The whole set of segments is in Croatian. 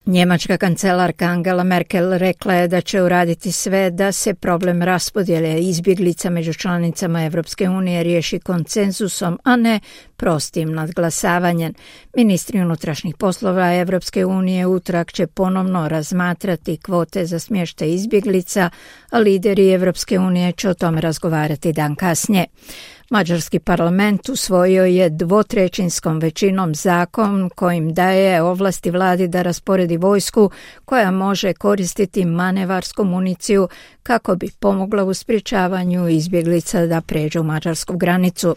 Njemačka kancelarka Angela Merkel rekla je da će uraditi sve da se problem raspodjele izbjeglica među članicama Evropske unije riješi konsenzusom, a ne prostim nadglasavanjem. Ministri unutrašnjih poslova Evropske unije utorak će ponovno razmatrati kvote za smještaj izbjeglica, a lideri Evropske unije će o tome razgovarati dan kasnije. Mađarski parlament usvojio je 2/3 većinom zakon kojim daje ovlasti vladi da rasporedi vojsku koja može koristiti manevarsku municiju kako bi pomogla u sprječavanju izbjeglica da pređu mađarsku granicu.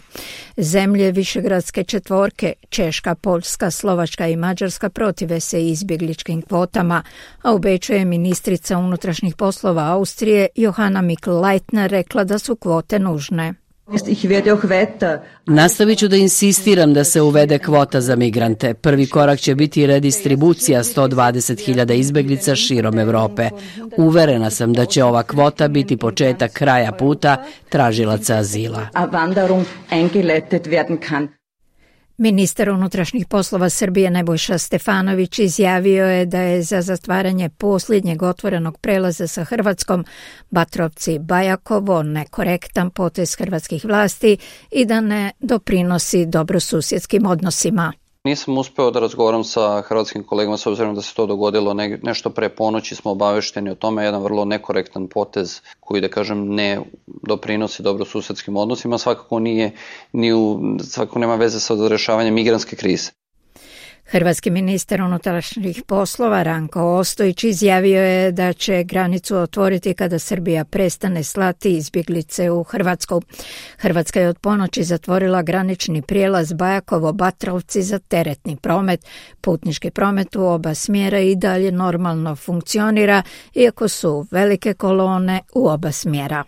Zemlje Višegradske četvorke, Češka, Poljska, Slovačka i Mađarska protive se izbjegličkim kvotama, a u Beču je ministrica unutrašnjih poslova Austrije Johanna Mikl-Leitner rekla da su kvote nužne. Nastavit ću da insistiram da se uvede kvota za migrante. Prvi korak će biti redistribucija 120.000 izbjeglica širom Europe. Uverena sam da će ova kvota biti početak kraja puta tražilaca azila. Ministar unutrašnjih poslova Srbije Nebojša Stefanović izjavio je da je za zatvaranje posljednjeg otvorenog prelaza sa Hrvatskom Batrovci-Bajakovo nekorektan potez hrvatskih vlasti i da ne doprinosi dobrosusjedskim odnosima. Nisam uspeo da razgovaram sa hrvatskim kolegama s obzirom da se to dogodilo nešto pre ponoći, smo obavešteni o tome, jedan vrlo nekorektan potez koji, da kažem, ne doprinosi dobrosusedskim odnosima, svakako nema veze sa rješavanjem migrantske krize. Hrvatski ministar unutrašnjih poslova Ranko Ostojić izjavio je da će granicu otvoriti kada Srbija prestane slati izbjeglice u Hrvatsku. Hrvatska je od ponoći zatvorila granični prijelaz Bajakovo-Batrovci za teretni promet. Putnički promet u oba smjera i dalje normalno funkcionira, iako su velike kolone u oba smjera.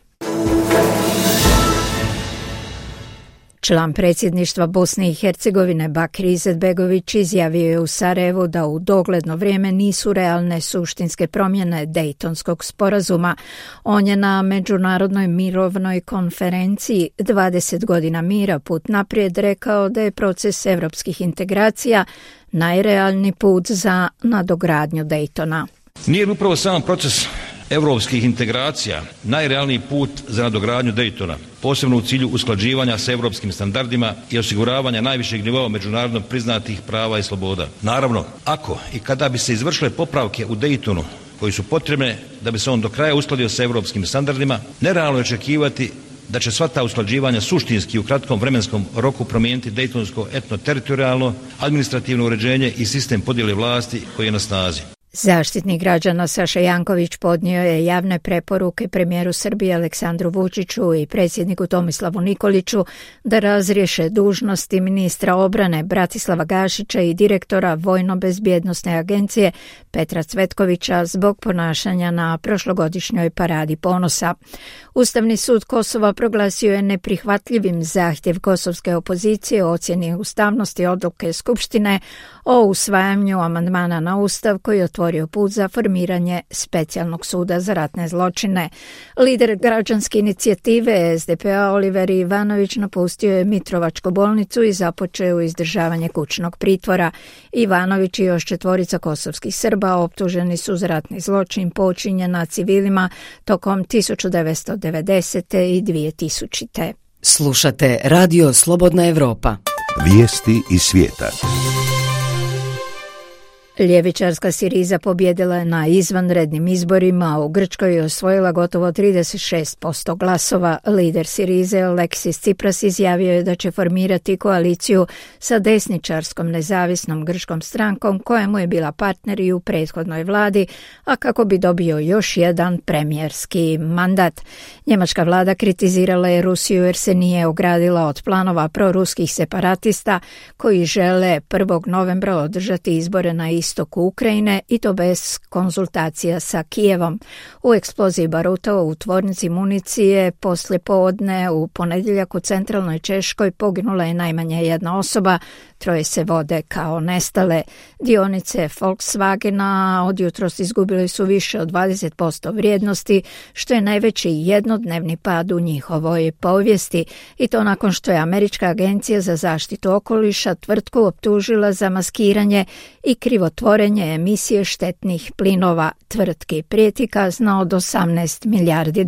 Član predsjedništva Bosne i Hercegovine Bakir Izetbegović izjavio je u Sarajevu da u dogledno vrijeme nisu realne suštinske promjene Dejtonskog sporazuma. On je na međunarodnoj mirovnoj konferenciji 20 godina mira put naprijed rekao da je proces evropskih integracija najrealniji put za nadogradnju Dejtona. Nije upravo sam proces europskih integracija najrealniji put za nadogradnju Dejtona, posebno u cilju usklađivanja s europskim standardima i osiguravanja najvišeg nivoa međunarodno priznatih prava i sloboda. Naravno, ako i kada bi se izvršile popravke u Dejtonu koji su potrebne da bi se on do kraja uskladio s europskim standardima, nerealno je očekivati da će sva ta usklađivanja suštinski u kratkom vremenskom roku promijeniti dejtonsko etno-teritorijalno, administrativno uređenje i sistem podjele vlasti koji je na snazi. Zaštitnik građana Saša Janković podnio je javne preporuke premijeru Srbije Aleksandru Vučiću i predsjedniku Tomislavu Nikoliću da razriješe dužnosti ministra obrane Bratislava Gašića i direktora Vojno-bezbjednosne agencije Petra Cvetkovića zbog ponašanja na prošlogodišnjoj paradi ponosa. Ustavni sud Kosova proglasio je neprihvatljivim zahtjev kosovske opozicije o ocjeni ustavnosti odluke Skupštine o usvajanju amandmana na Ustav koji je otvorio put za formiranje specijalnog suda za ratne zločine. Lider građanske inicijative SDP-a Oliver Ivanović napustio je Mitrovačku bolnicu i započeo izdržavanje kućnog pritvora. Ivanović i još 4 kosovskih Srba optuženi su za ratni zločin počinjen na civilima tokom 1990. i 2000. Slušate Radio Slobodna Evropa. Vijesti iz svijeta. Ljevičarska Siriza pobjedila je na izvanrednim izborima u Grčkoj i osvojila gotovo 36% glasova. Lider Sirize Aleksis Tsipras izjavio je da će formirati koaliciju sa desničarskom nezavisnom grčkom strankom kojemu je bila partner i u prethodnoj vladi, a kako bi dobio još jedan premijerski mandat. Njemačka vlada kritizirala je Rusiju jer se nije ogradila od planova proruskih separatista koji žele 1. novembra održati izbore na istoku Ukrajine i to bez konzultacija sa Kijevom. U eksploziji baruta u tvornici municije poslijepodne u ponedjeljak u centralnoj Češkoj poginula je najmanje jedna osoba, troje se vode kao nestale. Dionice Volkswagena od jutros izgubili su više od 20% vrijednosti, što je najveći jednodnevni pad u njihovoj povijesti, i to nakon što je Američka agencija za zaštitu okoliša tvrtku optužila za maskiranje i krivotvorenje emisije štetnih plinova. Tvrtki prijeti kazna od $18 milijardi.